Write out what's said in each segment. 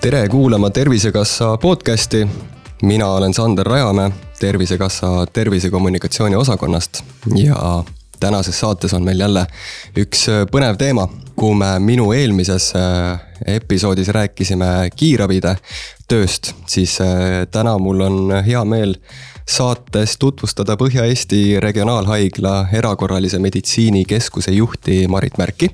Tere kuulama Tervisekassa podcasti. Mina olen Sander Rajamäe Tervisekassa tervisekommunikatsiooni osakonnast ja tänases saates on meil jälle üks põnev teema. Kui me minu eelmises episoodis rääkisime kiirabide tööst, siis täna mul on hea meel saates tutvustada Põhja-Eesti Regionaalhaigla erakorralise meditsiini keskuse juhti Marit Märki.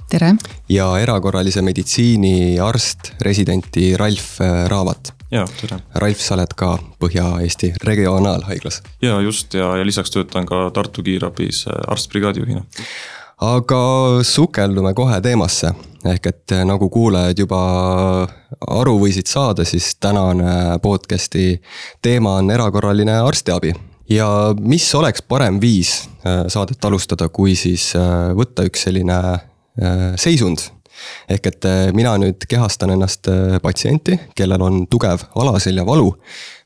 Tere! Ja erakorralise meditsiini arst, residenti Ralf Raavat. Ja, tere! Ralf, sa oled ka Põhja-Eesti Regionaalhaiglas. Ja, just, ja lisaks töötan ka Tartu kiirabis arstbrigaadijuhina. Aga sukeldume kohe teemasse. Ehk et nagu kuulajad juba aru võisid saada, siis tänane podcasti teema on erakorraline arstiabi. Ja mis oleks parem viis saadet alustada, kui siis võtta üks selline seisund. Ehk et mina nüüd kehastan ennast patsienti, kellel on tugev alaselja valu,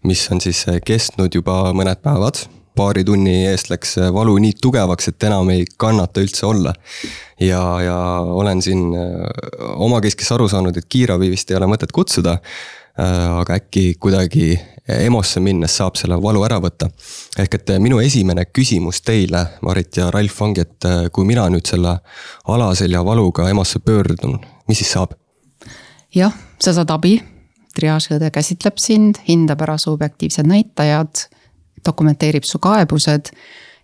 mis on siis kestnud juba mõned päevad. Paari tunni eest läks valu nii tugevaks, et enam ei kannata üldse olla. Ja olen siin omakeskis aru saanud, et kiirabi vist ei ole mõtet kutsuda, aga äkki kuidagi EMO-sse minnes saab selle valu ära võtta. Ehk et minu esimene küsimus teile, Marit ja Ralf, ongi, et kui mina nüüd selle alaselja valuga EMO-sse pöördun, mis siis saab? Jah, sa saad abi, triaažiõde käsitleb sind, hindab ära su objektiivsed näitajad, dokumenteerib su kaebused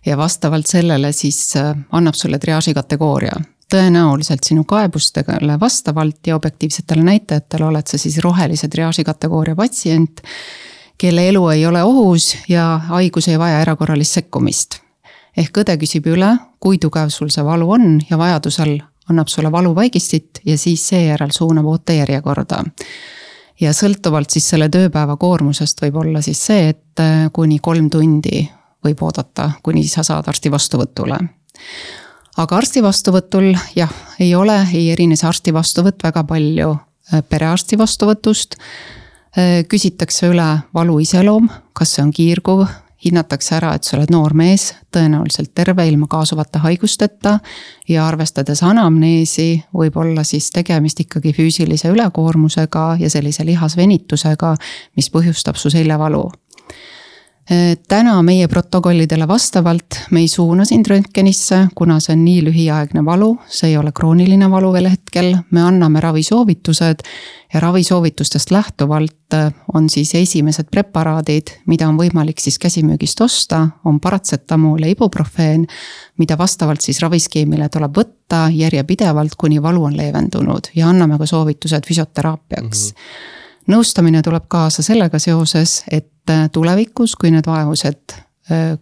ja vastavalt sellele siis annab sulle triaaži kategooria. Tõenäoliselt sinu kaebustele vastavalt ja objektiivsetele näitajatele oled sa siis rohelise triaaži kategooria patsient, kelle elu ei ole ohus ja haigus ei vaja erakorralist sekkumist. Ehk õde küsib üle, kui tugev sul see valu on ja vajadusel annab sulle valuvaigistit ja siis seejärel suunab ootejärjekorda. Ja sõltuvalt siis selle tööpäeva koormusest võib olla siis see, et kuni 3 tundi võib oodata, kuni sa saad arsti vastuvõtule. Aga arsti vastuvõtul ei erine see arsti vastuvõtt väga palju perearsti vastuvõtust. Küsitakse üle valu iseloom, kas see on kiirguv, hinnatakse ära, et sa oled noor mees, tõenäoliselt terve ilma kaasuvate haigusteta ja arvestades anamneesi võib olla siis tegemist ikkagi füüsilise ülekoormusega ja sellise lihasvenitusega, mis põhjustab su seljavalu. Täna meie protokollidele vastavalt me ei suuna sind röntgenisse, kuna see on nii lühiaegne valu, see ei ole krooniline valu veel hetkel, me anname ravisoovitused ja ravisoovitustest lähtuvalt on siis esimesed preparaadid, mida on võimalik siis käsimüügist osta, on paratsetamool ja ibuprofeen, mida vastavalt siis raviskeemile tuleb võtta järjepidevalt, kuni valu on leevendunud ja anname ka soovitused füsioteraapiaks. Nõustamine tuleb kaasa sellega seoses, et tulevikus, kui need vaevused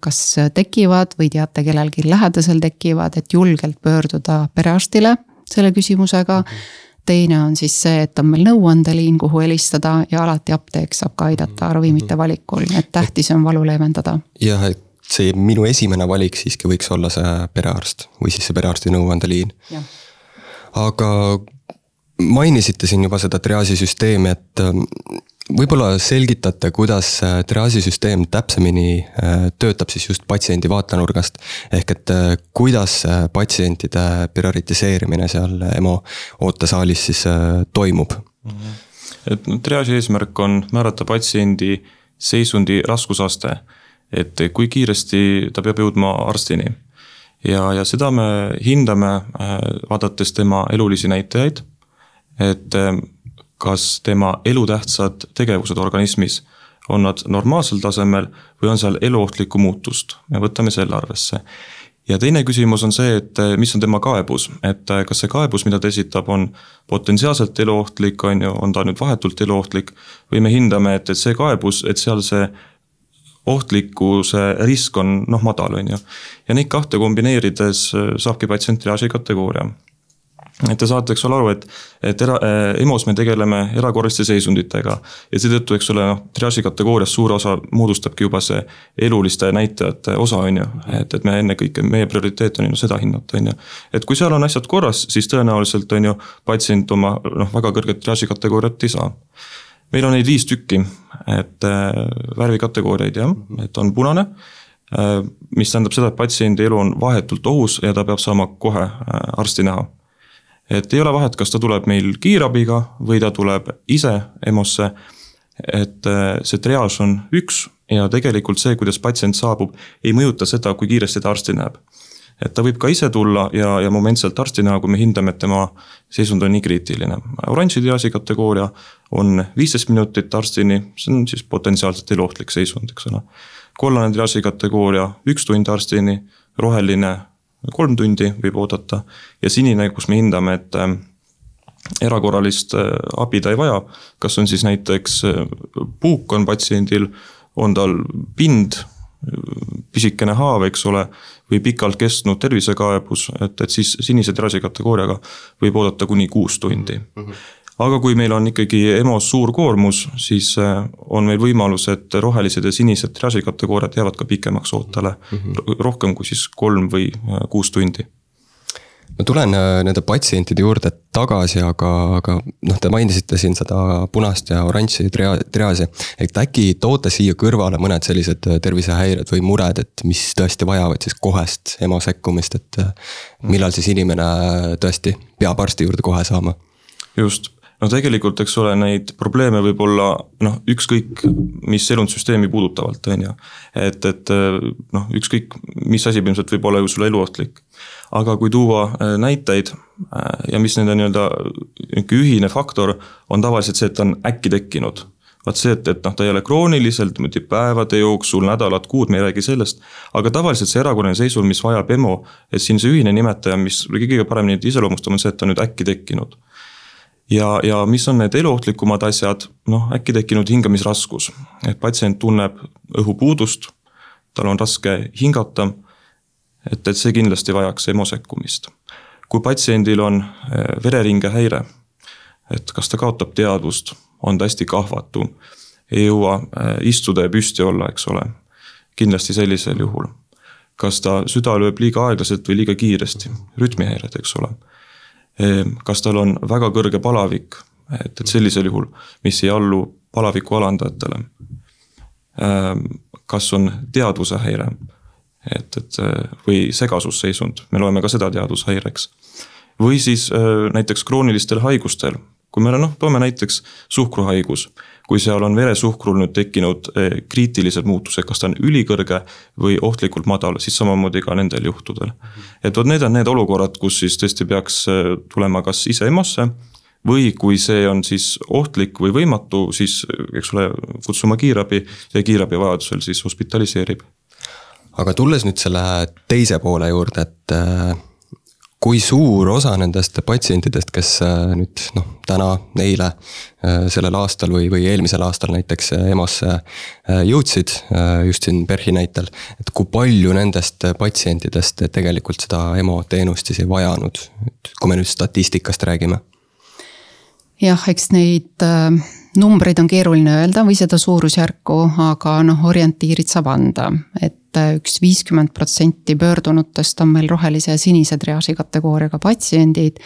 kas tekivad või teate kellelgi lähedasel tekivad, et julgelt pöörduda perearstile selle küsimusega. Teine on siis see, et on meil nõuandeliin, kuhu helistada ja alati apteek saab ka aidata ravimite valikul, et tähtis on valu leevendada. Jah, et see minu esimene valik siiski võiks olla see perearst või siis see perearsti nõuandeliin. Ja. Aga mainisite siin juba seda triaasisüsteemi, et võib-olla selgitate, kuidas triaasisüsteem täpsemini töötab siis just patsiendi vaatenurgast, ehk et kuidas patsientide prioritiseerimine seal EMO ootesaalis siis toimub? Et triaaži eesmärk on määrata patsiendi seisundi raskusaste, et kui kiiresti ta peab jõudma arstini. Ja seda me hindame vaadates tema elulisi näitajaid, et kas tema elutähtsad tegevused organismis on nad normaalsel tasemel või on seal eluohtlikku muutust. Me võtame selle arvesse. Ja teine küsimus on see, et mis on tema kaebus, et kas see kaebus, mida ta esitab, on potentsiaalselt eluohtlik, on ta nüüd vahetult eluohtlik või me hindame, et see kaebus, et seal see ohtlikkuse risk on madal. Ja neid kahte kombineerides saabki patsient triaaži kategooria. Et te saate aru, et EMO-s me tegeleme erakorraliste seisunditega ja seetõttu triaaži kategoorias suur osa moodustabki juba see eluliste näitajate osa, et me enne kõik, meie prioriteet on seda hinnata. Et kui seal on asjad korras, siis tõenäoliselt patsient oma väga kõrget triaaži kategooriat ei saa. Meil on neid 5 tükki, et värvikategooriaid, et on punane, mis tähendab seda, et patsiendi elu on vahetult ohus ja ta peab saama kohe arsti näha. et ei ole vahet, kas ta tuleb meil kiirabiga või ta tuleb ise EMO-sse, et see triaaž on üks ja tegelikult see, kuidas patsient saabub, ei mõjuta seda, kui kiiresti ta arsti näeb. Et ta võib ka ise tulla ja momentselt arsti näha, kui me hindame, et tema seisund on nii kriitiline. Oranži triaaži kategooria on 15 minutit arstini, see on siis potentsiaalselt eluohtlik seisund, eks ole. Kollane triaaži kategooria 1 tund arstini, roheline 3 tundi võib oodata ja sinine, kus me hindame, et erakorralist abi ta ei vaja, kas on siis näiteks puuk on patsiendil, on tal pind, pisikene haav, eks ole, või pikalt kestnud tervisekaebus, et siis sinise triaaži kategooriaga võib oodata kuni 6 tundi. Aga kui meil on ikkagi EMO-s suur koormus, siis on meil võimalus, et rohelised ja sinised triaaži kategooriad jäävad ka pikemaks ootele, rohkem kui siis 3 või 6 tundi. Ma tulen nende patsientide juurde tagasi, aga te mainisite siin seda punast ja oranži triaaži, et äkki toote siia kõrvale mõned sellised tervisehäired või mured, et mis tõesti vajavad siis kohest EMO sekkumist, et millal siis inimene tõesti peab arsti juurde kohe saama? Just. No tegelikult, eks ole, neid probleeme võib olla ükskõik, mis elundsüsteemi puudutavalt, on ju. Et ükskõik, mis asi ilmselt võib olla ju sulle eluohtlik. Aga kui tuua näiteid ja mis nende nii-öelda ühine faktor on tavaliselt see, et on äkki tekkinud. Vaat see, et ta ei ole krooniliselt, päevade jooksul, nädalad, kuud, me ei räägi sellest. Aga tavaliselt see erakorraline seisund, mis vajab EMO, et siin see ühine nimetaja, mis kõige paremini iseloomustab, on see, et on nüüd äkki tekkinud. Ja mis on need eluohtlikumad asjad, äkki tekkinud hingamisraskus, et patsient tunneb õhupuudust, tal on raske hingata, et see kindlasti vajaks EMO sekkumist. Kui patsiendil on vereringe häire, et kas ta kaotab teadvust, on ta hästi kahvatu, ei jõua istuda ja püsti olla, eks ole, kindlasti sellisel juhul. Kas ta süda lööb liiga aeglaselt või liiga kiiresti, rütmihäired, eks ole. Kas tal on väga kõrge palavik, et sellisel juhul, mis ei allu palaviku alandajatele. Kas on teadvuse häire, või segasusseisund, me loeme ka seda teadvushäireks. Või siis näiteks kroonilistel haigustel, kui me toome näiteks suhkruhaigus, kui seal on veresuhkrul nüüd tekkinud kriitilised muutused, kas ta on ülikõrge või ohtlikult madal, siis samamoodi ka nendel juhtudel. Et need on need olukorrad, kus siis tõesti peaks tulema kas ise EMO-sse või kui see on siis ohtlik või võimatu, siis eks ole, kutsuma kiirabi ja kiirabi vajadusel siis hospitaliseerib. Aga tulles nüüd selle teise poole juurde, et kui suur osa nendest patsientidest, kes nüüd täna, eile, sellel aastal või eelmisel aastal näiteks EMO-sse jõudsid, just siin PERH-i näitel, et kui palju nendest patsientidest tegelikult seda EMO teenust siis ei vajanud, kui me nüüd statistikast räägime? Jah, eks neid numbreid on keeruline öelda või seda suurusjärku, aga orientiirid saab anda, et üks 50% pöördunutest on meil rohelise ja sinise triaaži kategooriaga patsiendid,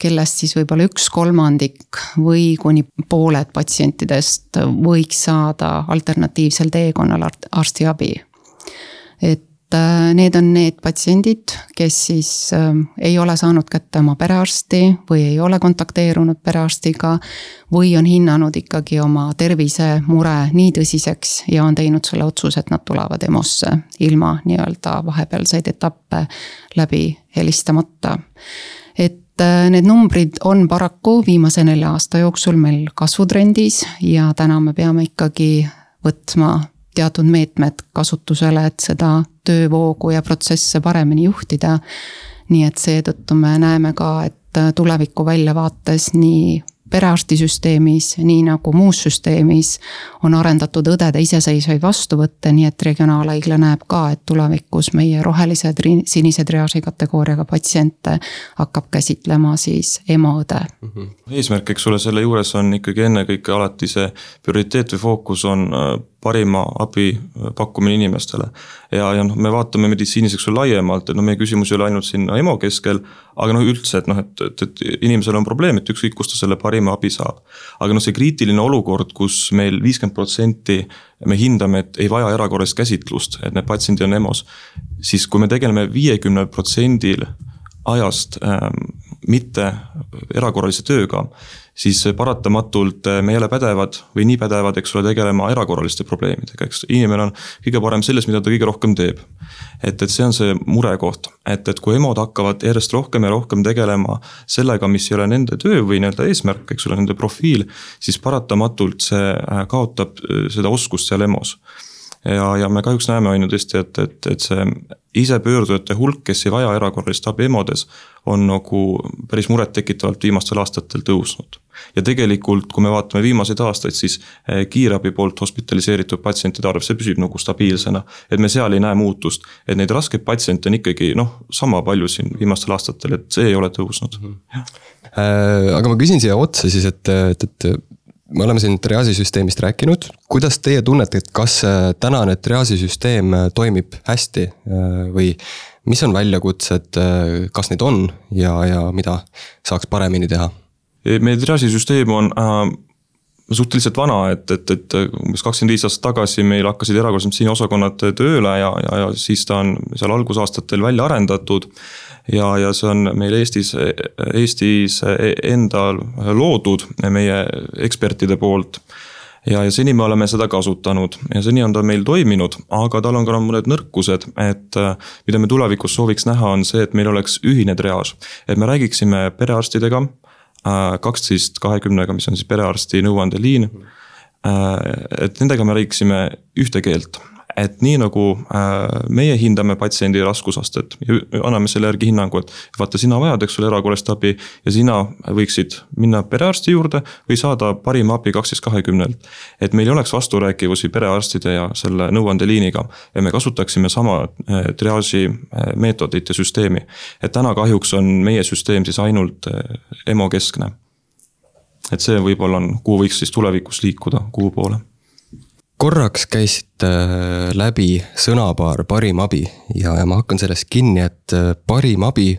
kellest siis võib-olla 1/3 või kuni pooled patsientidest võiks saada alternatiivsel teekonnal arstiabi. Et need on need patsiendid, kes siis ei ole saanud kätte oma perearsti või ei ole kontakteerunud perearstiga või on hinnanud ikkagi oma tervisemure nii tõsiseks ja on teinud selle otsuse, et nad tulevad EMO-sse ilma nii-öelda vahepealseid etappe läbi helistamata. Et need numbrid on paraku viimase 4 aasta jooksul meil kasvutrendis ja täna me peame ikkagi võtma teatud meetmed kasutusele, et seda töövoogu ja protsesse paremini juhtida. Nii et seetõttu me näeme ka, et tuleviku väljavaates nii perearstisüsteemis, nii nagu muus süsteemis on arendatud õdede iseseisvaid vastuvõtte, nii et regionaalhaigla näeb ka, et tulevikus meie rohelised sinise triaaži kategooriaga patsiente hakkab käsitlema siis EMO-õde. Eesmärk, eks ole, selle juures on ikkagi ennekõike alati see prioriteet või fookus on parima abi pakkumine inimestele. Ja me vaatame meditsiiniseks laiemalt, et meie küsimus ei ole ainult siin EMO keskel, aga üldse, et inimesel on probleem, et ükskõik kus ta selle parima abi saab. Aga see kriitiline olukord, kus meil 50% me hindame, et ei vaja erakorralist käsitlust, et need patsiendid on EMO-s, siis kui me tegeleme 50% ajast mitte erakorralise tööga, siis paratamatult me ei ole pädevad või nii pädevad, eks ole, tegelema erakorraliste probleemidega, eks inimene on kõige parem selles, mida ta kõige rohkem teeb. Et see on see murekoht, et kui emod hakkavad järjest rohkem ja rohkem tegelema sellega, mis ei ole nende töö või nii-öelda eesmärk, eks ole, nende profiil, siis paratamatult see kaotab seda oskust seal EMO-s. Ja me kahjuks näeme on ju tõesti, et see isepöördujate hulk, kes ei vaja erakorralist abi EMO-des, on nagu päris muret tekitavalt viimastel aastatel tõusnud. Ja tegelikult, kui me vaatame viimaseid aastaid, siis kiirabi poolt hospitaliseeritud patsientide arv, see püsib nagu stabiilsena, et me seal ei näe muutust, et neid raskeid patsiente on ikkagi sama palju siin viimastel aastatel, et see ei ole tõusnud. Aga ma küsin siia otsa siis, et me oleme siin triaasisüsteemist rääkinud. Kuidas teie tunnete, et kas tänane triaasisüsteem toimib hästi või mis on väljakutsed, kas neid on ja mida saaks paremini teha? Meie triaasisüsteem on suhteliselt vana, et umbes 25 aastat tagasi meil hakkasid erakorralise meditsiini osakonnad tööle ja siis ta on seal algusaastatel välja arendatud. Ja see on meil Eestis endal loodud meie ekspertide poolt. Ja seni me oleme seda kasutanud ja seni on ta meil toiminud, aga tal on ka mõned nõrkused, et mida me tulevikus sooviks näha on see, et meil oleks ühine triaaž. Et me räägiksime perearstidega, 12-20, mis on siis perearsti nõuandeliin, et nendega me räägiksime ühte keelt. Et nii nagu meie hindame patsiendi raskusastet ja anname selle järgi hinnangu, et vaata sina vajad, eks ole, erakorralist abi ja sina võiksid minna perearsti juurde või saada parima abi 12-20. Et meil ei oleks vasturääkivusi perearstide ja selle nõuandeliiniga ja me kasutaksime sama triaaži meetodit ja süsteemi. Et täna kahjuks on meie süsteem siis ainult EMO keskne. Et see võib-olla on, kuhu võiks siis tulevikus liikuda, kuhu poole. Korraks käisite läbi sõnapaar parim abi ja ma hakkan sellest kinni, et parim abi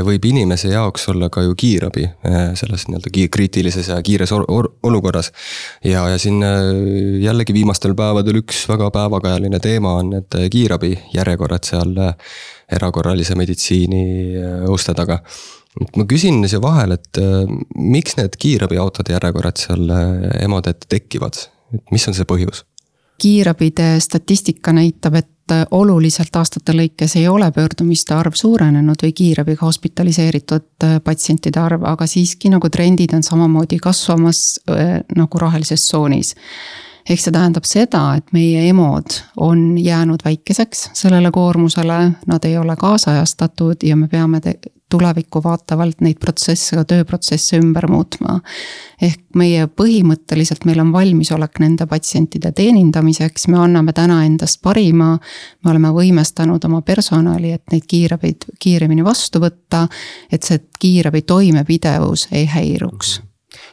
võib inimese jaoks olla ka ju kiirabi selles nii-öelda kriitilises ja kiires olukorras. Ja siin jällegi viimastel päevadel üks väga päevakajaline teema on need kiirabi järjekorrad seal erakorralise meditsiini uste taga. Ma küsin siia vahel, et miks need kiirabiautode järjekorrad seal emade ette tekivad? Mis on see põhjus? Kiirabide statistika näitab, et oluliselt aastate lõikes ei ole pöördumiste arv suurenenud või kiirabiga hospitaliseeritud patsientide arv, aga siiski nagu trendid on samamoodi kasvamas nagu rohelises tsoonis. Ehk see tähendab seda, et meie emod on jäänud väikeseks sellele koormusele, nad ei ole kaasajastatud ja me peame tulevikku vaatavalt neid protsesse, tööprotsesse ümber muutma. Ehk meie põhimõtteliselt meil on valmisolek nende patsientide teenindamiseks, me anname täna endast parima, me oleme võimestanud oma personali, et neid kiirabid kiiremini vastu võtta, et see kiirabi toimepidevus ei häiruks.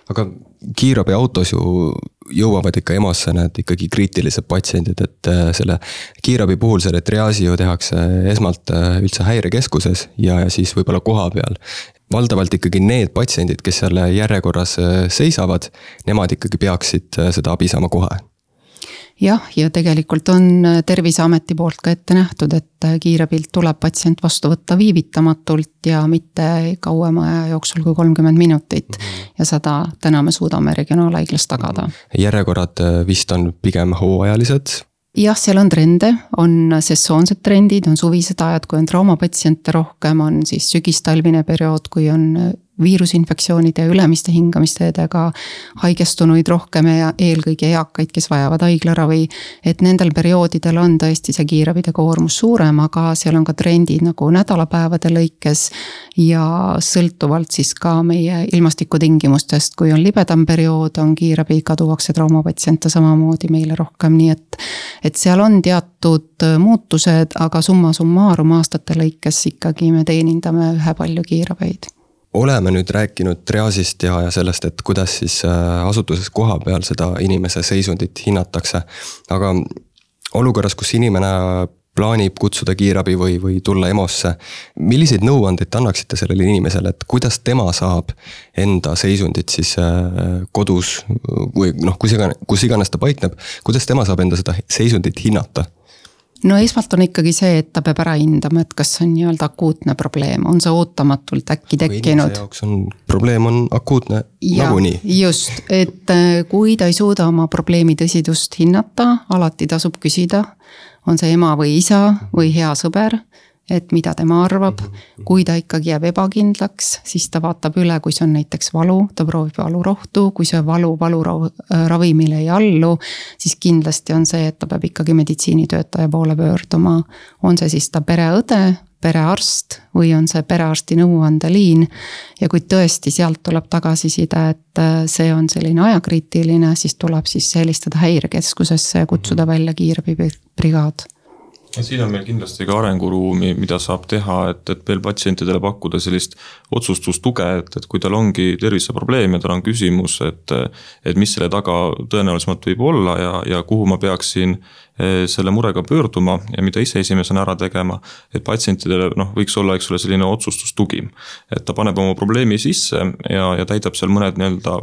Aga kiirabi autos ju jõuavad ikka EMO-sse need ikkagi kriitilised patsiendid, et selle kiirabi puhul selle triaasi ju tehakse esmalt üldse häirekeskuses ja siis võib-olla koha peal. Valdavalt ikkagi need patsiendid, kes selle järjekorras seisavad, nemad ikkagi peaksid seda abi saama kohe. Jah, ja tegelikult on Terviseameti poolt ka ette nähtud, et kiirabilt tuleb patsient vastu võtta viivitamatult ja mitte kauema aja jooksul kui 30 minutit. Ja seda täna me suudame regionaalhaiglas tagada. Järjekorrad vist on pigem hooajalised? Jah, seal on trende, on sessoonsed trendid, on suvised ajad, kui on traumapatsiente rohkem, on siis sügistalvine periood, kui on viirusinfektsioonide ja ülemiste hingamisteedega haigestunuid rohkem ja eelkõige eakaid, kes vajavad haiglaravi, et nendel perioodidel on tõesti see kiirabide koormus suurem, aga seal on ka trendid nagu nädalapäevade lõikes ja sõltuvalt siis ka meie ilmastikutingimustest, kui on libedam periood, on kiirabi kaduvaksi traumapatsiente samamoodi meile rohkem, nii et seal on teatud muutused, aga summa summarum aastate lõikes ikkagi me teenindame ühe palju kiirabeid. Oleme nüüd rääkinud triaasist ja sellest, et kuidas siis asutuses koha peal seda inimese seisundit hinnatakse. Aga olukorras, kus inimene plaanib kutsuda kiirabi või tulla EMO-sse, milliseid nõuandeid annaksite sellele inimesele, et kuidas tema saab enda seisundit siis kodus või kus iganes ta paikneb, kuidas tema saab enda seda seisundit hinnata? no esmalt on ikkagi see, et ta peab ära hindama, et kas see on nii-öelda akuutne probleem, on see ootamatult äkki tekkinud. Inimese jaoks probleem on akuutne nagunii. Just, et kui ta ei suuda oma probleemi tõsidust hinnata, alati tasub küsida, on see ema või isa või hea sõber, et mida tema arvab, kui ta ikkagi jääb ebakindlaks, siis ta vaatab üle, kui see on näiteks valu, ta proovib valurohtu, kui see valuravimile ei allu, siis kindlasti on see, et ta peab ikkagi meditsiinitöötaja poole pöörduma. On see siis ta pereõde, perearst või on see perearsti nõuandeliin ja kui tõesti sealt tuleb tagasiside, et see on selline ajakriitiline, siis tuleb siis helistada häirekeskusesse ja kutsuda välja kiirabibrigaad. Siin on meil kindlasti ka arenguruumi, mida saab teha, et veel patsientidele pakkuda sellist otsustustuge, et kui tal ongi terviseprobleem ja tal on küsimus, et mis selle taga tõenäolisemalt võib olla ja kuhu ma peaksin selle murega pöörduma ja mida ise esimesena ära tegema, et patsientidele võiks olla selline otsustustugi, et ta paneb oma probleemi sisse ja täidab seal mõned nii-öelda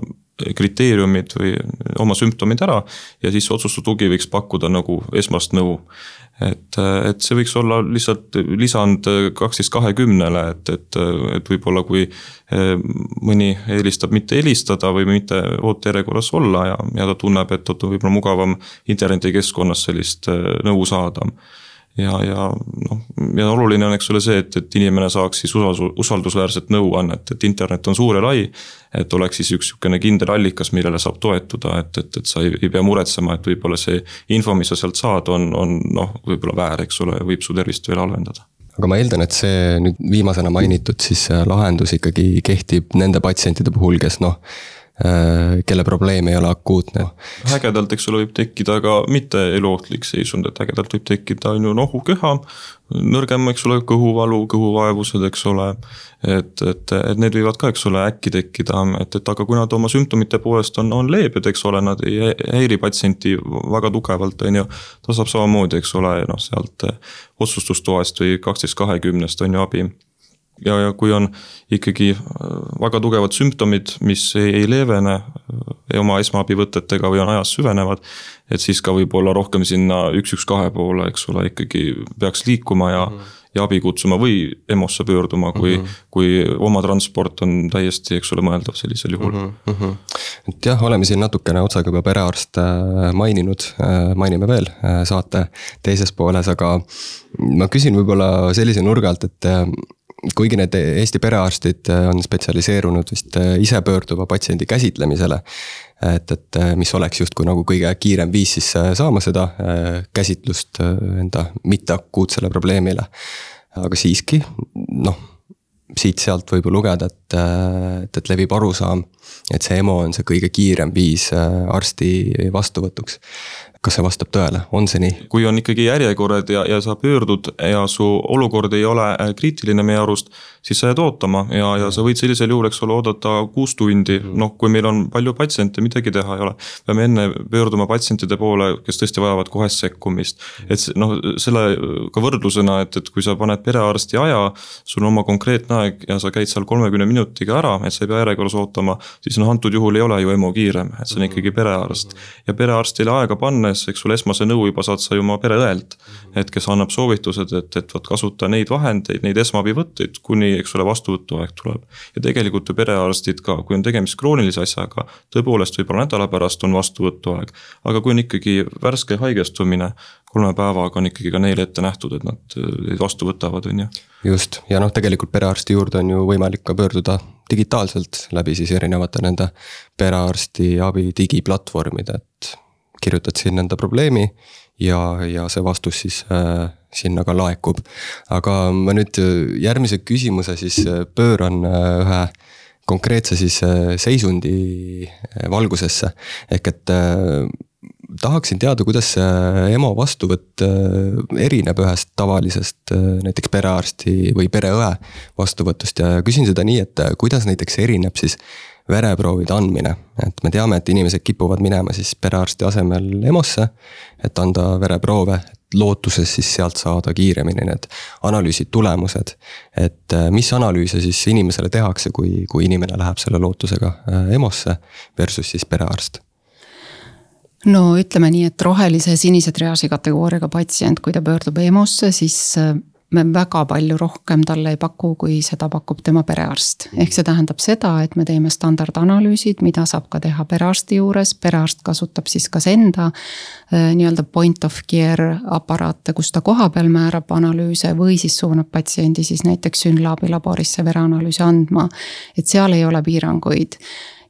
kriteeriumid või oma sümptomid ära ja siis otsustustugi võiks pakkuda nagu esmast nõu. Et see võiks olla lihtsalt lisand 12-20, et võib-olla kui mõni eelistab mitte helistada või mitte ootejärjekorras olla ja ta tunneb, et on võib-olla mugavam internetikeskkonnas sellist nõu saada. Ja oluline on see, et inimene saaks siis usaldusväärset nõuannet, et internet on suur ja lai, et oleks siis üks kindel allikas, millele saab toetuda, et sa ei pea muretsema, et võib-olla see info, mis sa sealt saad, on võib-olla väär, võib su tervist veel halvendada. Aga ma eeldan, et see nüüd viimasena mainitud siis lahendus ikkagi kehtib nende patsientide puhul, kes kelle probleem ei ole akuutne. Ägedalt, võib tekkida ka mitte eluohtlik seisund, et ägedalt võib tekkida nohuköha, nõrgem, kõhuvalu, kõhuvaevused, et need võivad ka, äkki tekkida, et aga kui nad oma sümptomite poolest on leebed, nad ei häiri patsienti väga tugevalt, ta saab samamoodi, sealt otsustustoast või 12-20 on abi. Ja kui on ikkagi väga tugevad sümptomid, mis ei leevene oma esmaabivõtetega või on ajas süvenevad, et siis ka võib olla rohkem sinna 112 poole, ikkagi peaks liikuma ja abi kutsuma või EMO-sse pöörduma, kui oma transport on täiesti, mõeldav sellisel juhul. Et jah, oleme siin natukene otsaga juba perearst maininud, mainime veel saate teises pooles, aga ma küsin võib-olla sellise nurga alt, et kuigi need Eesti perearstid on spetsialiseerunud vist ise pöörduva patsiendi käsitlemisele, et mis oleks justkui nagu kõige kiirem viis siis saama seda käsitlust enda mitteakuutsele probleemile. Aga siiski, siit-sealt võib lugeda, et levib arusaam, et see EMO on see kõige kiirem viis arsti vastuvõtuks. Kas see vastab tõele? On see nii? Kui on ikkagi järjekorrad ja sa pöördud ja su olukord ei ole kriitiline meie arust, siis sa jääd ootama ja sa võid sellisel juhul, oodata 6 tundi. Kui meil on palju patsiente, midagi teha ei ole. Peame enne pöörduma patsientide poole, kes tõesti vajavad kohest sekkumist. Et selle ka võrdlusena, et kui sa paned perearsti aja, sul on oma konkreetne aeg ja sa käid seal 30 minutiga ära, et sa ei pea järjekorras ootama, siis antud juhul ei ole ju EMO kiirem, et see on ikkagi perearst. Ja perearstile aega pannes, esmase nõu juba saad sa ju oma pereõelt, et kes annab soovitused, et kasuta neid vahendeid, neid esmaabivõtteid, kuni vastuvõtuaeg tuleb. Ja tegelikult ju perearstid ka, kui on tegemist kroonilise asjaga, tõepoolest võib-olla nädala pärast on vastuvõtuaeg, aga kui on ikkagi värske haigestumine, 3 päevaga on ikkagi ka neile ette nähtud, et nad vastu võtavad. Just, ja tegelikult perearsti juurde on ju võimalik ka pöörduda digitaalselt läbi siis erinevate nende perearsti abi digiplatvormide, et kirjutad siin enda probleemi ja see vastus siis sinna ka laekub. Aga ma nüüd järgmise küsimuse siis pööran ühe konkreetse siis seisundi valgusesse. Ehk et tahaksin teada, kuidas EMO vastuvõtt erineb ühest tavalisest näiteks perearsti või pereõe vastuvõtust ja küsin seda nii, et kuidas näiteks erineb siis vereproovide andmine, et me teame, et inimesed kipuvad minema siis perearsti asemel EMO-sse, et anda vereproove, et lootuses siis sealt saada kiiremini need analüüsid tulemused, et mis analüüse siis inimesele tehakse, kui inimene läheb selle lootusega EMO-sse versus siis perearst? no ütleme nii, et rohelise sinise triaaži kategooriaga patsient, kui ta pöördub EMO-sse, siis me väga palju rohkem talle ei paku, kui seda pakub tema perearst. Ehk see tähendab seda, et me teeme standardanalüüsid, mida saab ka teha perearsti juures. Perearst kasutab siis kas enda nii-öelda point of care aparaate, kus ta koha peal määrab analüüse või siis suunab patsiendi siis näiteks Synlabi laborisse vereanalüüsi andma. Et seal ei ole piiranguid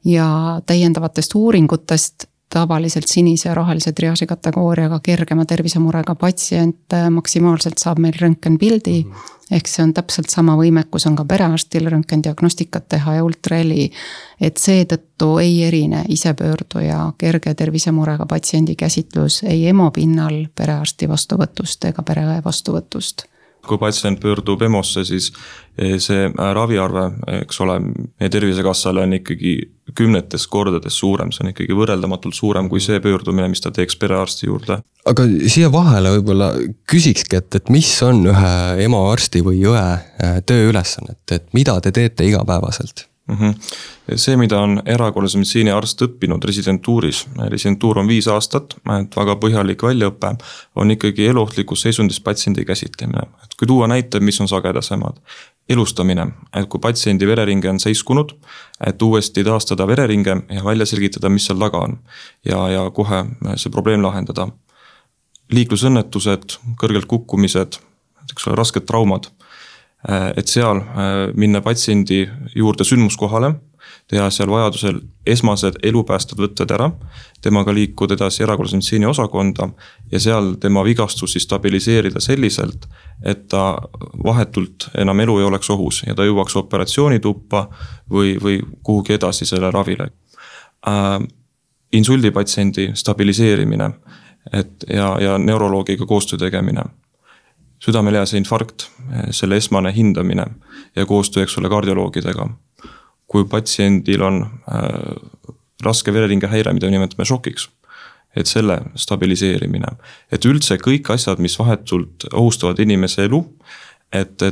ja täiendavatest uuringutest tavaliselt sinise ja rohelise triaaži kategooriaga kergema tervisemurega patsient maksimaalselt saab meil röntgenpildi. Ehk see on täpselt sama võimekus on ka perearstil röntgendiagnostikat teha ja ultraheli. Et seetõttu ei erine isepöörduja kerge tervisemurega patsiendi käsitlus ei EMO pinnal perearsti vastuvõtust ega pereõe vastuvõtust. Kui patsient pöördub EMO-sse, siis see raviarve, eks ole, meie Tervisekassale on ikkagi 10 kordades suurem, see on ikkagi võrreldamatult suurem kui see pöördumine, mis ta teeks perearsti juurde. Aga siia vahele võib-olla küsikski, et mis on ühe EMO arsti või õe tööülesannet, et mida te teete igapäevaselt? See, mida on erakorralise meditsiini arst õppinud residentuuris, residentuur on 5 aastat, et väga põhjalik väljaõpe, on ikkagi eluohtlikus seisundis patsiendi käsitlemine. Et kui tuua näite, mis on sagedasemad, elustamine, et kui patsiendi vereringe on seiskunud, et uuesti taastada vereringe ja välja selgitada, mis seal taga on ja kohe see probleem lahendada. Liiklusõnnetused, kõrgelt kukkumised, rasked traumad, et seal minna patsiendi juurde sündmuskohale, teha seal vajadusel esmased elupäästvad võtted ära, temaga liikuda edasi erakorralise meditsiini osakonda ja seal tema vigastusi stabiliseerida selliselt, et ta vahetult enam elu ei oleks ohus ja ta jõuaks operatsioonituppa või kuhugi edasi selle ravile. Insuldipatsiendi stabiliseerimine ja neuroloogiga koostöö tegemine. Südamelihase infarkt, selle esmane hindamine ja koostöö, eks ole, kardioloogidega. Kui patsiendil on raske vereringe häire, mida nimetame šokiks, et selle stabiliseerimine. Et üldse kõik asjad, mis vahetult ohustavad inimese elu, et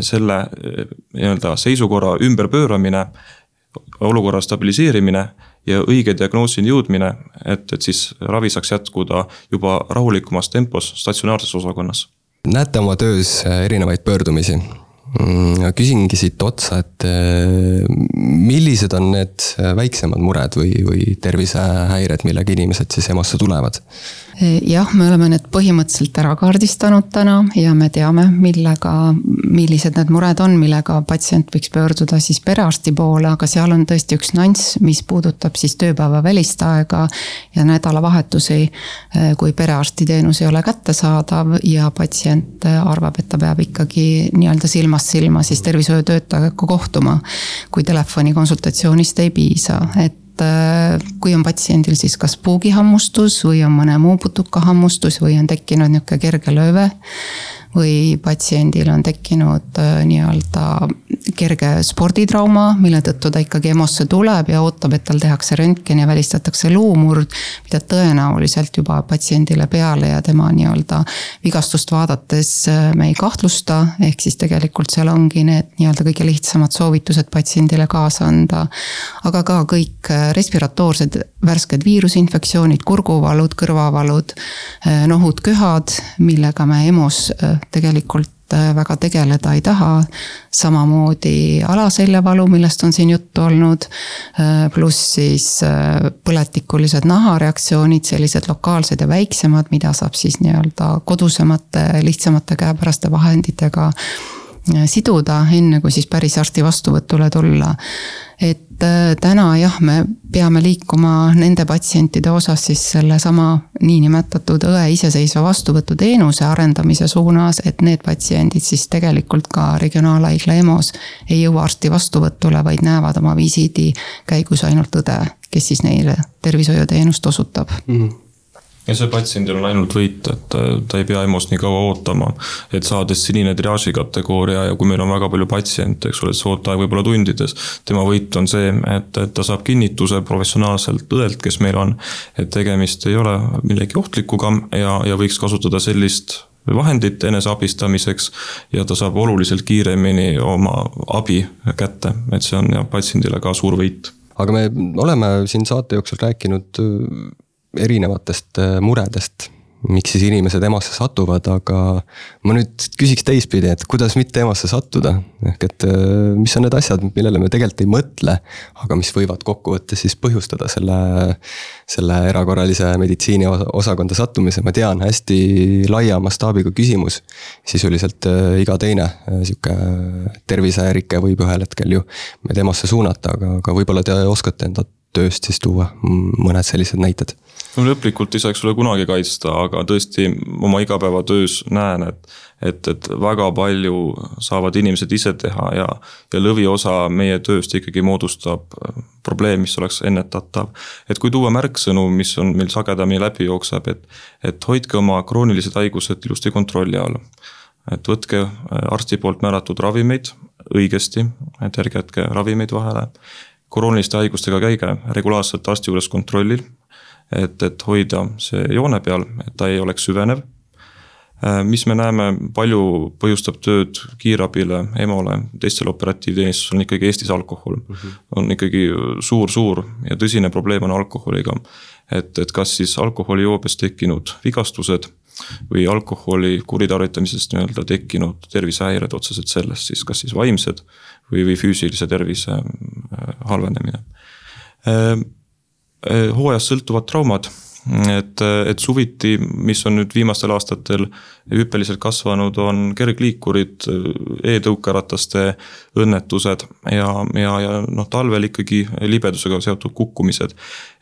selle nii-öelda seisukorra ümberpööramine, olukorra stabiliseerimine ja õige diagnoosini jõudmine, et siis ravi saaks jätkuda juba rahulikumas tempos statsionaarses osakonnas. Näete oma töös erinevaid pöördumisi. Küsingi siit otsa, et millised on need väiksemad mured või tervisehäired, millega inimesed siis EMO-sse tulevad? Jah, me oleme need põhimõtteliselt ära kaardistanud täna ja me teame, millised need mured on, millega patsient võiks pöörduda siis perearsti poole, aga seal on tõesti üks nüanss, mis puudutab siis tööpäeva välist aega ja nädalavahetusi, kui perearsti teenus ei ole kättesaadav ja patsient arvab, et ta peab ikkagi nii-öelda silmast silma siis tervishoiutöötajaga kohtuma, kui telefoni konsultatsioonist ei piisa, et kui on patsiendil siis kas puugihammustus või on mõne muu putukahammustus või on tekkinud niisugune kerge lööve või patsiendil on tekkinud nii-öelda kerge sporditrauma, mille tõttu ta ikkagi EMO-sse tuleb ja ootab, et tal tehakse röntgen ja välistatakse luumurd, mida tõenäoliselt juba patsiendile peale ja tema nii-öelda vigastust vaadates me ei kahtlusta, ehk siis tegelikult seal ongi need nii-öelda kõige lihtsamad soovitused patsiendile kaasa anda, aga ka kõik respiratoorsed värsked viirusinfektsioonid, kurguvalud, kõrvavalud, nohud, köhad, millega me EMO-s tegelikult väga tegeleda ei taha, samamoodi alaseljavalu, millest on siin juttu olnud, pluss siis põletikulised nahareaktsioonid, sellised lokaalsed ja väiksemad, mida saab siis nii-öelda kodusemate, lihtsamate käepäraste vahenditega siduda, enne kui siis päris arsti vastuvõtule tulla. Et täna jah, me peame liikuma nende patsientide osas siis selle sama niinimetatud õe iseseisva vastuvõtu teenuse arendamise suunas, et need patsiendid siis tegelikult ka regionaalhaigla EMO-s ei jõua arsti vastuvõtule, vaid näevad oma visiidi käigus ainult õde, kes siis neile tervishoiuteenust osutab. Ja see patsiendil on ainult võit, et ta ei pea EMO-s nii kaua ootama, et saades sinine triaaži kategooria ja kui meil on väga palju patsiente, eks ole, see ootaeg võib-olla tundides, tema võit on see, et ta saab kinnituse professionaalselt õelt, kes meil on, et tegemist ei ole millegi ohtlikuga ja võiks kasutada sellist vahendit eneseabistamiseks ja ta saab oluliselt kiiremini oma abi kätte, et see on ja patsiendile ka suur võit. Aga me oleme siin saate jooksul rääkinud erinevatest muredest, miks siis inimesed EMO-sse satuvad, aga ma nüüd küsiks teistpidi, et kuidas mitte EMO-sse sattuda. Ehk et mis on need asjad, millele me tegelikult ei mõtle, aga mis võivad kokkuvõttes siis põhjustada selle erakorralise meditsiini osakonda sattumise. Ma tean, hästi laia mastaabiga küsimus. Sisuliselt iga teine siuke tervisehärike võib ühel hetkel ju meid EMO-sse suunata, aga võib-olla te oskate enda tööst siis tuua mõned sellised näited. No lõplikult ei saaks sulle kunagi kaitsta, aga tõesti oma igapäevatöös näen, et väga palju saavad inimesed ise teha ja lõviosa meie tööst ikkagi moodustab probleem, mis oleks ennetatav. Et kui tuua märksõnu, mis on meil sagedamini läbi jookseb, et hoidke oma kroonilised haigused ilusti kontrolli all. Et võtke arsti poolt määratud ravimeid õigesti, et ärge jätke ravimeid vahele. Krooniliste haigustega käige regulaarselt arsti juures kontrollil, et hoida see joone peal, et ta ei oleks süvenev. Mis me näeme, palju põhjustab tööd kiirabile, EMO-le, teistele operatiivteenistusele on ikkagi Eestis alkohol. On ikkagi suur ja tõsine probleem on alkoholiga. Et kas siis alkoholijoobes tekkinud vigastused või alkoholi kuritarvitamisest nii-öelda tekkinud tervisehäired otseselt sellest, siis kas siis vaimsed või füüsilise tervise halvenemine. Hooajast sõltuvad traumad, et suviti, mis on nüüd viimastel aastatel hüppeliselt kasvanud, on kergliikurid, e-tõukerataste õnnetused ja talvel ikkagi libedusega seotud kukkumised.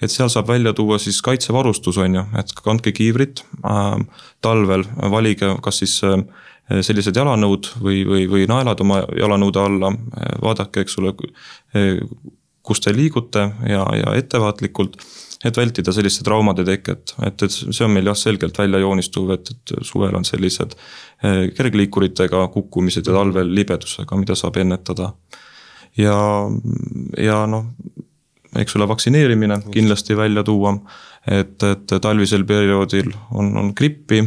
Et seal saab välja tuua siis kaitsevarustus on ju, et kandke kiivrit, talvel valige kas siis sellised jalanõud või naelad oma jalanõude alla, vaadake, eks ole, kus te liigute ja ettevaatlikult, et vältida selliste traumade teket. Et see on meil jah selgelt välja joonistuv, et suvel on sellised kergliikuritega kukkumised ja talvel libedusega, mida saab ennetada. Ja eks ole vaktsineerimine kindlasti välja tuua, et talvisel perioodil on grippi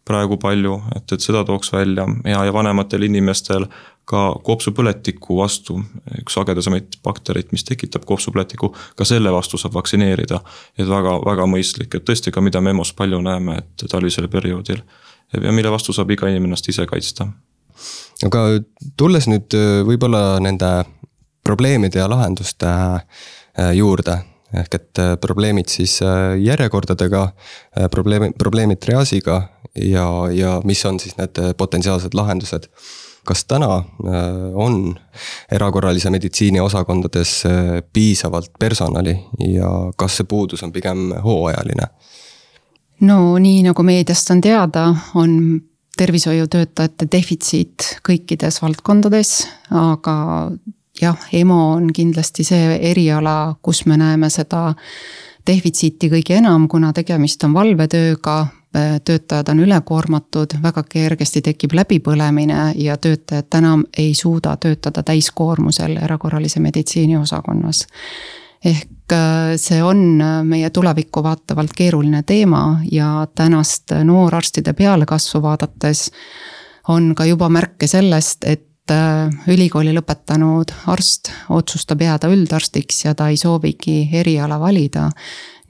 praegu palju, et seda tooks välja ja vanematel inimestel ka kopsupõletiku vastu, üks sagedasemaid baktereid, mis tekitab kopsupõletiku, ka selle vastu saab vaktsineerida, et väga, väga mõistlik, et tõesti ka mida me EMO-s palju näeme, et talvisel perioodil ja mille vastu saab iga inimest ise kaitsta. Aga tulles nüüd võib-olla nende probleemide ja lahenduste juurde, ehk et probleemid siis järjekordadega, probleemid triaasiga ja mis on siis need potentsiaalsed lahendused. Kas täna on erakorralise meditsiini osakondades piisavalt personali ja kas see puudus on pigem hooajaline? No nii nagu meediast on teada, on tervishoiutöötajate defitsiit kõikides valdkondades, aga jah, EMO on kindlasti see eriala, kus me näeme seda defitsiiti kõige enam, kuna tegemist on valvetööga, töötajad on ülekoormatud, väga kergesti tekib läbipõlemine ja töötajad enam ei suuda töötada täiskoormusel erakorralise meditsiini osakonnas. Ehk see on meie tulevikku vaatavalt keeruline teema ja tänast noorarstide pealekasvu vaadates on ka juba märke sellest, et ülikooli lõpetanud arst otsustab jääda üldarstiks ja ta ei soovigi eriala valida.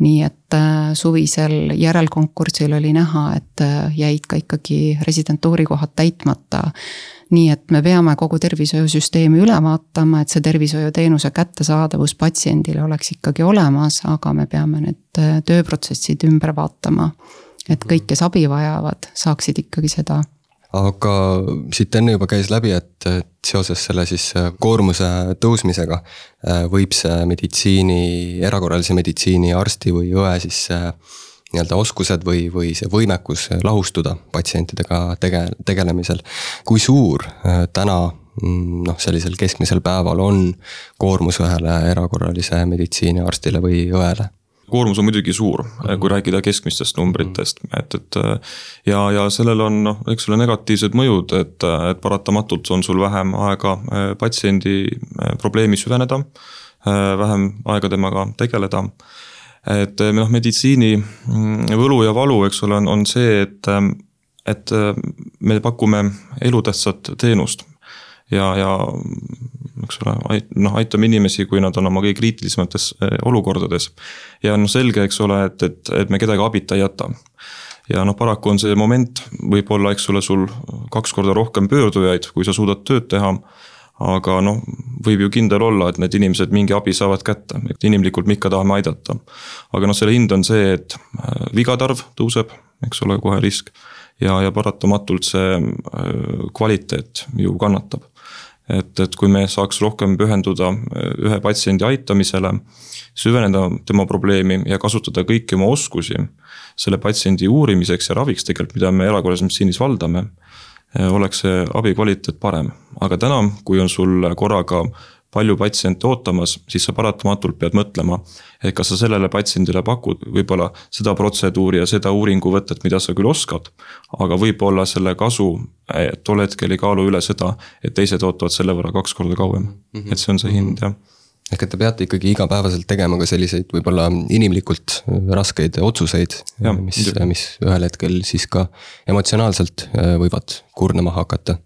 Nii et suvisel järelkonkursil oli näha, et jäid ka ikkagi residentuurikohad täitmata. Nii et me peame kogu tervishoiusüsteemi üle vaatama, et see tervishoiuteenuse kättesaadavus patsiendile oleks ikkagi olemas, aga me peame need tööprotsessid ümber vaatama, et kõik, kes abi vajavad, saaksid ikkagi seda. Aga siit enne juba käis läbi, et seoses selle siis koormuse tõusmisega võib see erakorralise meditsiini arsti või õe siis nii-öelda oskused või see võimekus lahustuda patsientidega tegelemisel. Kui suur täna sellisel keskmisel päeval on koormus ühele erakorralise meditsiini arstile või õele? Koormus on muidugi suur, kui rääkida keskmistest numbritest, ja sellel on, eks ole, negatiivsed mõjud, et paratamatult on sul vähem aega patsiendi probleemi süveneda, vähem aega temaga tegeleda. Et meditsiini võlu ja valu, eks ole, on see, et me pakume elutähtsat teenust ja eks ole, aitame inimesi, kui nad on oma kõige kriitilisemates olukordades. Ja selge, eks ole, et me kedagi abita ei jäta. Ja paraku on see moment, võib-olla, eks ole, sul 2 korda rohkem pöördujaid, kui sa suudad tööd teha, aga võib ju kindel olla, et need inimesed mingi abi saavad kätte, et inimlikult me ikka tahame aidata. Aga selle hind on see, et vigatarv tõuseb, eks ole, kohe risk ja paratamatult see kvaliteet ju kannatab. Et kui me saaks rohkem pühenduda ühe patsiendi aitamisele, süveneda tema probleemi ja kasutada kõiki oma oskusi selle patsiendi uurimiseks ja raviks tegelikult, mida me erakorralises meditsiinis valdame, oleks see abi kvaliteet parem. Aga täna, kui on sul korraga palju patsiente ootamas, siis sa paratamatult pead mõtlema, et kas sa sellele patsiendile pakud võib-olla seda protseduuri ja seda uuringuvõtet, mida sa küll oskad, aga võib-olla selle kasu tol hetkel ei kaalu üle seda, et teised ootavad selle võrra 2 korda kauem. Et see on see hind, jah. Ehk et te peate ikkagi igapäevaselt tegema ka selliseid võib-olla inimlikult raskeid otsuseid, mis ühel hetkel siis ka emotsionaalselt võivad kurnama hakata.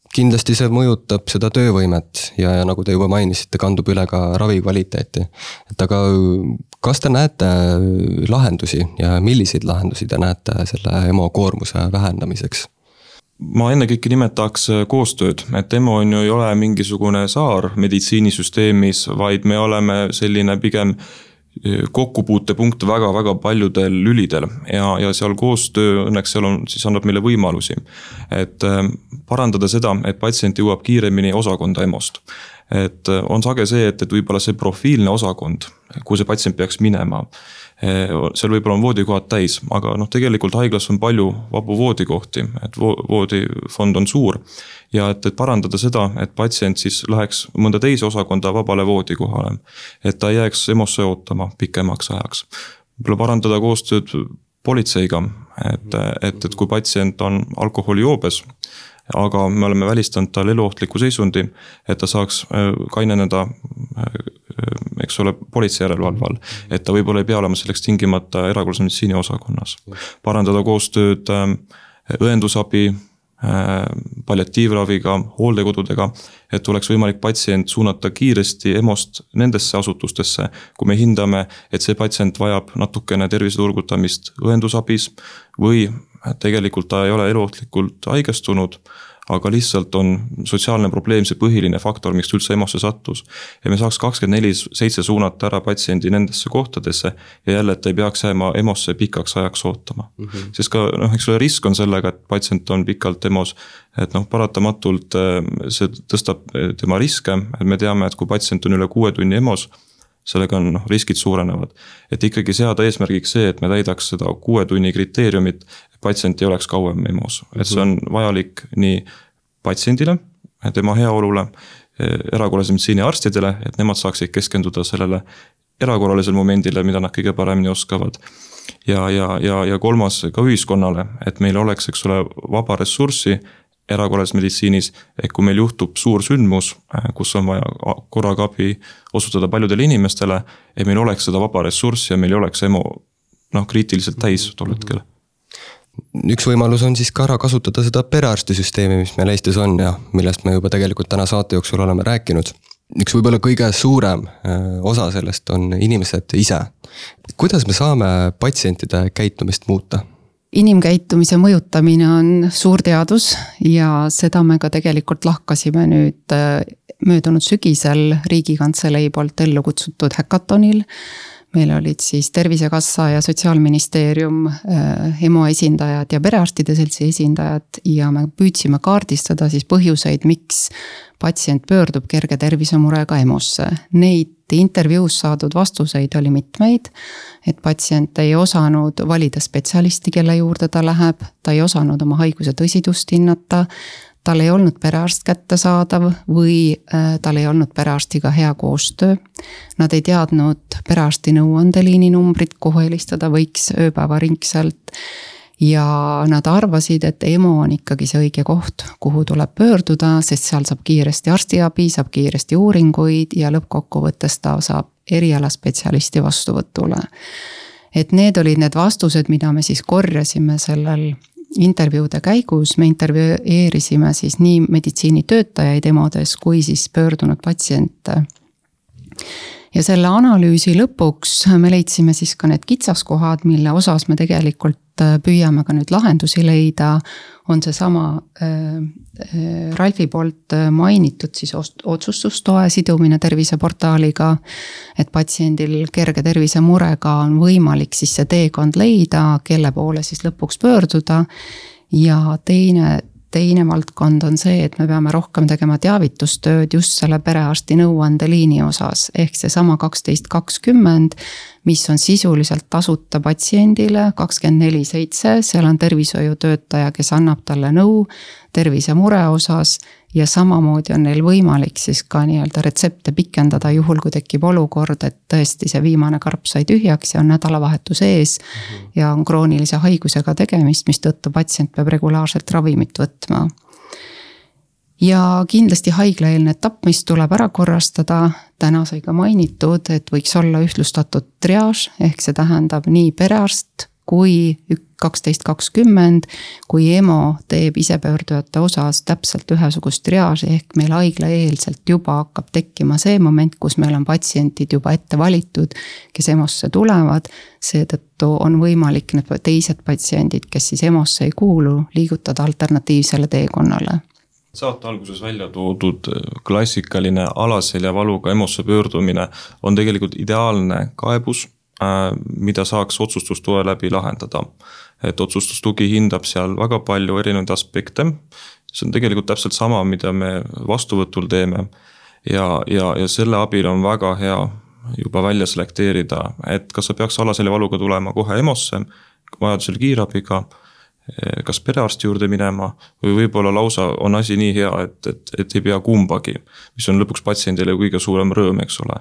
Kindlasti see mõjutab seda töövõimet ja nagu te juba mainisite, kandub üle ka ravi kvaliteeti. Et aga kas te näete lahendusi ja milliseid lahendusi te näete selle EMO koormuse vähendamiseks? Ma ennekõike nimetaks koostööd, et EMO on ju ei ole mingisugune saar meditsiinisüsteemis, vaid me oleme selline pigem kokkupuutepunkt väga-väga paljudel lülidel ja seal koostöö õnneks seal on, siis annab meile võimalusi. Et parandada seda, et patsient jõuab kiiremini osakonda EMO-st. Et on sage see, et võib-olla see profiilne osakond, kuhu see patsient peaks minema, seal võib-olla on voodikohad täis, aga tegelikult haiglas on palju vabu voodikohti, et voodifond on suur ja et parandada seda, et patsient siis läheks mõnda teise osakonda vabale voodikohale, et ta jääks EMO-sse ootama pikemaks ajaks. Võib-olla parandada koostööd politseiga, et kui patsient on alkoholijoobes, aga me oleme välistanud tal eluohtliku seisundi, et ta saaks kaineneda, eks ole, politsei järelevalve all, et ta võib-olla ei pea olema selleks tingimata erakorralise meditsiini osakonnas. Parandada koostööd õendusabi, palliatiivraviga, hooldekodudega, et oleks võimalik patsient suunata kiiresti EMO-st nendesse asutustesse, kui me hindame, et see patsient vajab natukene terviseturgutamist õendusabis või tegelikult ta ei ole eluohtlikult haigestunud, aga lihtsalt on sotsiaalne probleem see põhiline faktor, miks üldse EMO-sse sattus. Ja me saaks 24/7 suunata ära patsiendi nendesse kohtadesse ja jälle, et ei peaks jääma EMO-sse pikaks ajaks ootama. Sest ka, eks ole, risk on sellega, et patsient on pikalt EMO-s, et paratamatult see tõstab tema riske, et me teame, et kui patsient on üle 6 tunni EMO-s, sellega on riskid suurenevad. Et ikkagi seada eesmärgiks see, et me täidaks seda 6 tunni kriteeriumit, patsient ei oleks kauem EMO-s. Et see on vajalik nii patsiendile, tema heaolule, erakorralise meditsiini arstidele, et nemad saaksid keskenduda sellele erakorralisel momendile, mida nad kõige paremini oskavad. Ja kolmas ka ühiskonnale, et meil oleks, eks ole, vaba ressurssi erakorralises meditsiinis, et kui meil juhtub suur sündmus, kus on vaja korraga abi osutada paljudele inimestele, et meil oleks seda vaba ressurssi ja meil ei oleks EMO kriitiliselt täis tol hetkel. Üks võimalus on siis ka ära kasutada seda perearstisüsteemi, mis meil Eestis on ja millest me juba tegelikult täna saate jooksul oleme rääkinud. Üks võib-olla kõige suurem osa sellest on inimesed ise. Kuidas me saame patsientide käitumist muuta? Inimkäitumise mõjutamine on suur teadus ja seda me ka tegelikult lahkasime nüüd möödunud sügisel Riigikantselei poolt ellu kutsutud häkatonil. Meil olid siis Tervisekassa ja Sotsiaalministeerium, EMO esindajad ja perearstide seltsi esindajad ja me püüdsime kaardistada siis põhjuseid, miks patsient pöördub kerge tervisemurega EMO-sse. Neid intervjuus saadud vastuseid oli mitmeid, et patsient ei osanud valida spetsialisti, kelle juurde ta läheb, ta ei osanud oma haiguse tõsidust hinnata, tal ei olnud perearst kättesaadav või tal ei olnud perearstiga hea koostöö. Nad ei teadnud perearsti nõuandeliini numbrit, kuhu helistada võiks ööpäevaringselt. Ja nad arvasid, et EMO on ikkagi see õige koht, kuhu tuleb pöörduda, sest seal saab kiiresti arstiabi, saab kiiresti uuringuid ja lõppkokkuvõttes ta saab erialaspetsialisti vastuvõtule. Et need olid need vastused, mida me siis korjasime sellel intervjuude käigus me intervjueerisime siis nii meditsiinitöötajaid EMO-des kui siis pöördunud patsiente. Ja selle analüüsi lõpuks me leidsime siis ka need kitsaskohad, mille osas me tegelikult püüame ka nüüd lahendusi leida, on see sama Ralfi poolt mainitud siis otsustustoe sidumine terviseportaaliga, et patsiendil kerge tervisemurega on võimalik siis see teekond leida, kelle poole siis lõpuks pöörduda ja teine valdkond on see, et me peame rohkem tegema teavitustööd just selle perearsti nõuandeliini osas, ehk see sama 1220, mis on sisuliselt tasuta patsiendile 24/7, seal on tervishoiutöötaja, kes annab talle nõu tervisemure osas ja samamoodi on neil võimalik siis ka nii-öelda retsepte pikendada juhul, kui tekib olukord, et tõesti see viimane karp sai tühjaks ja on nädalavahetus ees ja on kroonilise haigusega tegemist, mis tõttu patsient peab regulaarselt ravimit võtma. Ja kindlasti haiglaeelne etapp, mis tuleb ära korrastada, täna sai ka mainitud, et võiks olla ühtlustatud triaaž, ehk see tähendab nii perearst kui 1220, kui EMO teeb isepöördujate osas täpselt ühesugust triaaži, ehk meil haiglaeelselt juba hakkab tekkima see moment, kus meil on patsientid juba ette valitud, kes EMO-sse tulevad, seetõttu on võimalik need teised patsiendid, kes siis EMO-sse ei kuulu, liigutada alternatiivsele teekonnale. Saate alguses välja toodud klassikaline alaseljavaluga EMO-sse pöördumine on tegelikult ideaalne kaebus, mida saaks otsustustoe läbi lahendada. Et otsustustugi hindab seal väga palju erinevaid aspekte. See on tegelikult täpselt sama, mida me vastuvõtul teeme ja selle abil on väga hea juba välja selekteerida, et kas sa peaks alaseljavaluga tulema kohe EMO-sse, vajadusel kiirabiga, kas perearsti juurde minema või võib-olla lausa on asi nii hea, et ei pea kumbagi, mis on lõpuks patsiendile kõige suurem rõõm, eks ole.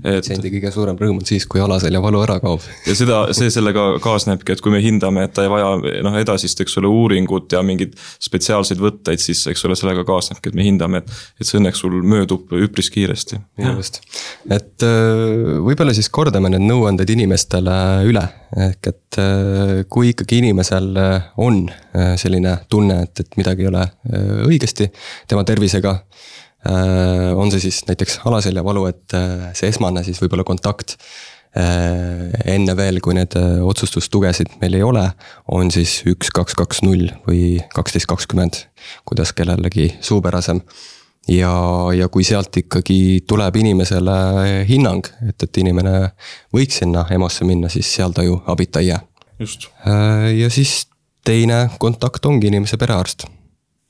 Patsiendi kõige suurem rõõm on siis, kui alaseljavalu ära kaob. Ja see sellega kaasnebki, et kui me hindame, et ta ei vaja edasist, eks ole, uuringut ja mingid spetsiaalseid võtteid, siis eks ole, sellega kaasnebki, et me hindame, et see õnneks sul möödub üpris kiiresti. Just. Et võib-olla siis kordame need nõuanded inimestele üle, ehk et kui ikkagi inimesel on selline tunne, et midagi ei ole õigesti tema tervisega, on see siis näiteks alaseljavalu, et see esmane siis võib-olla kontakt enne veel, kui need otsustustugesid meil ei ole, on siis 1220 või 1220, kuidas kellelegi suupärasem. Ja kui sealt ikkagi tuleb inimesele hinnang, et inimene võiks sinna EMO-sse minna, siis seal ta ju abita ei jää. Just. Ja siis teine kontakt ongi inimese perearst.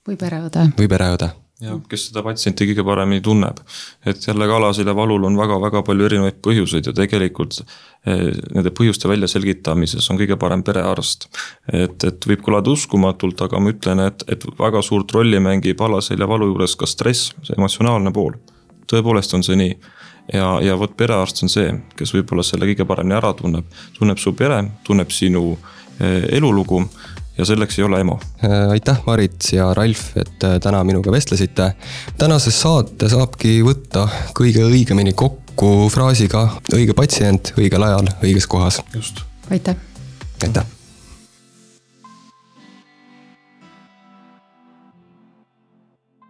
Või pereõde. Ja kes seda patsienti kõige paremini tunneb. Et jällegi alaseljavalul on väga-väga palju erinevaid põhjuseid ja tegelikult nende põhjuste välja selgitamises on kõige parem perearst. Et võib kõlada uskumatult, aga ma ütlen, et väga suurt rolli mängib alaseljavalu juures ka stress, see emotsionaalne pool. Tõepoolest on see nii. Ja võt perearst on see, kes võib-olla selle kõige paremini ära tunneb su pere, tunneb sinu elulugu ja selleks ei ole EMO. Aitäh Marit ja Ralf, et täna minuga vestlesite. Tänases saate saabki võtta kõige õigemini kokku fraasiga õige patsient, õigel ajal, õiges kohas. Just. Aitäh. Aitäh.